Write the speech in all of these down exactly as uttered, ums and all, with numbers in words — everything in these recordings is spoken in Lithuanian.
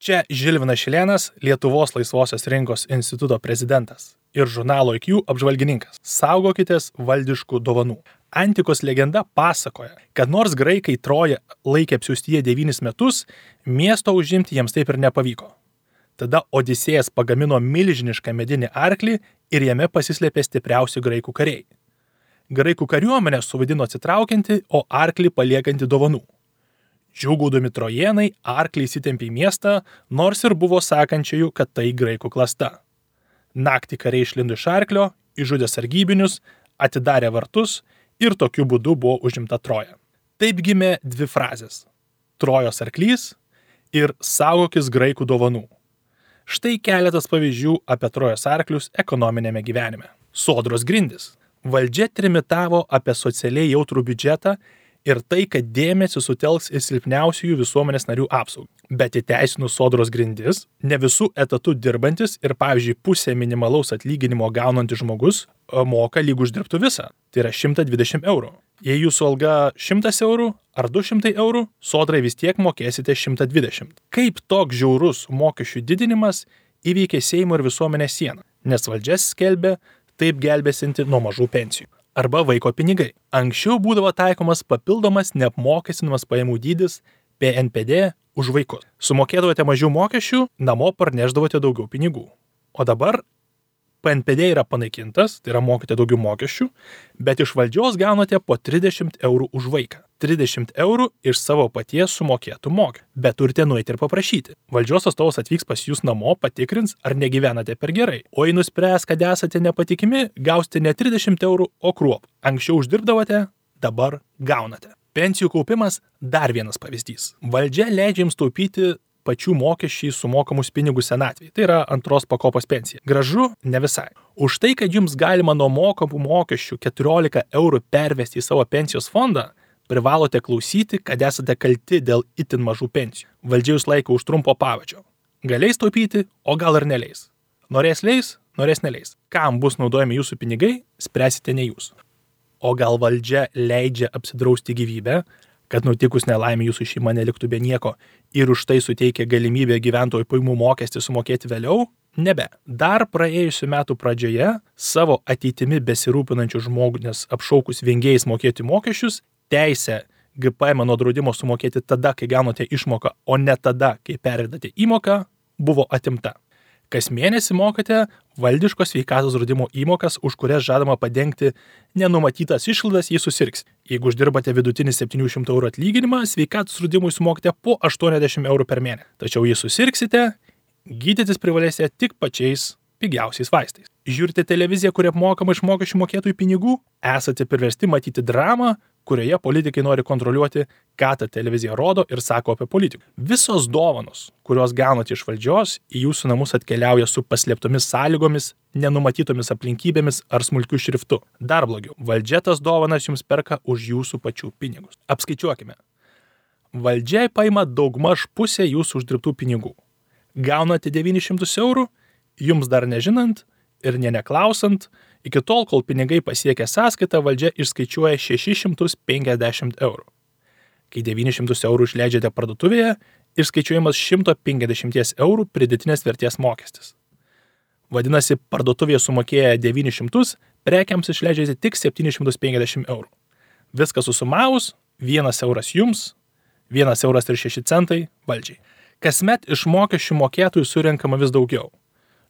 Čia Žilvinas Šilėnas, Lietuvos laisvosios rinkos instituto prezidentas ir žurnalo I Q apžvalgininkas. Saugokitės valdiškų dovanų. Antikos legenda pasakoja, kad nors graikai Troją laikė apsiaustyje devynis metus, miesto užimti jiems taip ir nepavyko. Tada Odisėjas pagamino milžinišką medinį arklį ir jame pasislėpė stipriausi graikų kariai. Graikų kariuomenė suvaidino atsitraukianti, o arklį paliekanti dovanų. Džiūgaudami trojėnai arklį įsitempė į miestą, nors ir buvo sakančiųjų, kad tai graikų klasta. Naktį kariai išlindo iš arklio, išžudė sargybinius, atidarė vartus ir tokiu būdu buvo užimta Troja. Taip gimė dvi frazės – Trojos arklys ir saugokis graikų dovanų. Štai keletas pavyzdžių apie Trojos arklius ekonominėme gyvenime. Sodros grindys. Valdžia trimitavo apie socialiai jautrų biudžetą ir tai, kad dėmesį sutelks į silpniausiųjų visuomenės narių apsaugą. Bet įteisinus sodros grindis, ne visų etatų dirbantis ir, pavyzdžiui, pusę minimalaus atlyginimo gaunantis žmogus moka lyg uždirbtų visą. Tai yra šimtas dvidešimt eurų. Jei jūsų alga šimtas eurų ar du šimtai eurų, sodrai vis tiek mokėsite šimtas dvidešimt. Kaip toks žiaurus mokesčių didinimas įveikė Seimo ir visuomenės sieną, nes valdžia skelbė taip gelbėsinti nuo mažų pensijų. Arba vaiko pinigai. Anksčiau būdavo taikomas papildomas neapmokestinamas pajamų dydis P N P D už vaikus. Sumokėdavote mažiau mokesčių, namo parnešdavote daugiau pinigų. O dabar P N P D yra panaikintas, tai yra mokate daugiau mokesčių, bet iš valdžios gaunate po trisdešimt eurų už vaiką. trisdešimt eurų iš savo paties sumokėtų mokesčių. Bet turite nueiti ir paprašyti. Valdžios atstovas atvyks pas jūs namo, patikrins, ar negyvenate per gerai. O jei nuspręs, kad esate nepatikimi, gausite ne trisdešimt eurų, o kruopą. Anksčiau uždirbdavote, dabar gaunate. Pensijų kaupimas dar vienas pavyzdys. Valdžia leidžia jums taupyti pačių mokesčiai sumokamus pinigus senatvėje. Tai yra antros pakopos pensija. Gražu, ne visai. Už tai, kad jums galima nuo mokamų mokesčių keturiolika eurų pervesti į savo pensijos fondą, privalote klausyti, kad esate kalti dėl itin mažų pensijų. Valdžia jūs laiko už trumpo pavadžio. Galės taupyti, o gal ir neleis. Norės leis, norės neleis. Kam bus naudojami jūsų pinigai, spręsite ne jūs. O gal valdžia leidžia apsidrausti gyvybę, kad nutikus nelaimė jūsų šeima neliktų be nieko ir už tai suteikia galimybę gyventojų pajamų mokestį sumokėti vėliau? Nebe. Dar praėjusių metų pradžioje savo ateitimi besirūpinančių žmonės apšaukus vengėjais mokėti mokesčius, teisę G P M nuo draudimo sumokėti tada, kai gaunate išmoką, o ne tada, kai pervedate įmoką, buvo atimta. Kas mėnesį mokate valdiškos sveikatos draudimo įmokas, už kurias žadama padengti nenumatytas išlaidas, jei susirgs. Jeigu uždirbate vidutinį septynių šimtų eurų atlyginimą, sveikatos draudimui sumokite po aštuoniasdešimt eurų per mėnesį. Tačiau jei susirgsite, gydytis privalėsite tik pačiais pigiausiais vaistais. Žiūrite televiziją, kuri apmokama iš mokesčių mokėtojų pinigų, esate priversti matyti dramą, kurioje politikai nori kontroliuoti, ką ta televizija rodo ir sako apie politiką. Visos dovanos, kurios gaunate iš valdžios, į jūsų namus atkeliauja su paslėptomis sąlygomis, nenumatytomis aplinkybėmis ar smulkiu šriftu. Dar blogiau, valdžia tas dovanas jums perka už jūsų pačių pinigus. Apskaičiuokime. Valdžia paima daugmaž pusę jūsų uždirbtų pinigų. Gaunate devynis šimtus eurų, jums dar nežinant ir ne neklausant, iki tol, kol pinigai pasiekia sąskaitą, valdžia išskaičiuoja šešis šimtus penkiasdešimt eurų. Kai devynis šimtus eurų išleidžiate parduotuvėje, išskaičiuojamas šimtas penkiasdešimt eurų pridėtinės vertės mokestis. Vadinasi, parduotuvėje sumokėję devynis šimtus, prekiams išleidžiate tik septynis šimtus penkiasdešimt eurų. Viskas susumavus, vienas euras jums, vienas euras ir šeši centai valdžiai. Kasmet iš mokesčių mokėtojų surenkama vis daugiau.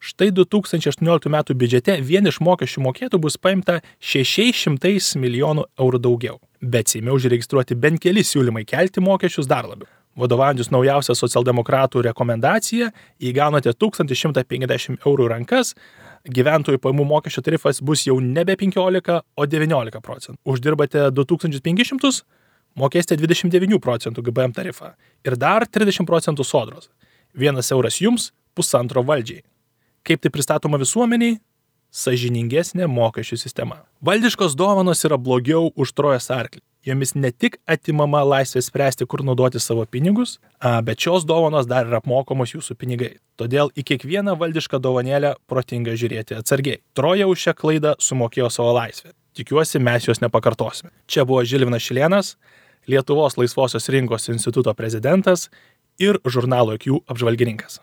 Štai du tūkstančiai aštuonioliktų metų biudžete vien iš mokesčių mokėtų bus paimta šešiais šimtais milijonų eurų daugiau. Bet Seime užregistruoti bent keli siūlymai kelti mokesčius dar labiau. Vadovaujantis naujausią socialdemokratų rekomendaciją, jei gaunate tūkstantį šimtą penkiasdešimt eurų rankas, gyventojų pajamų mokesčio tarifas bus jau nebe penkiolika, o devyniolika procentų. Uždirbate du tūkstančius penkis šimtus, mokėsite dvidešimt devynių procentų G P M tarifą ir dar trisdešimt procentų sodros. Vienas euras jums, pusantro valdžiai. Kaip tai pristatoma visuomeniai? Sąžiningesnė mokesčių sistema. Valdiškos dovanos yra blogiau už Trojos arklį. Jomis ne tik atimama laisvė spręsti, kur naudoti savo pinigus, bet šios dovanos dar yra apmokamos jūsų pinigai. Todėl į kiekvieną valdišką dovanėlę protinga žiūrėti atsargiai. Troja už šią klaidą sumokėjo savo laisvę. Tikiuosi, mes jos nepakartosime. Čia buvo Žilvinas Šilėnas, Lietuvos laisvosios rinkos instituto prezidentas ir žurnalo I Q apžvalgininkas.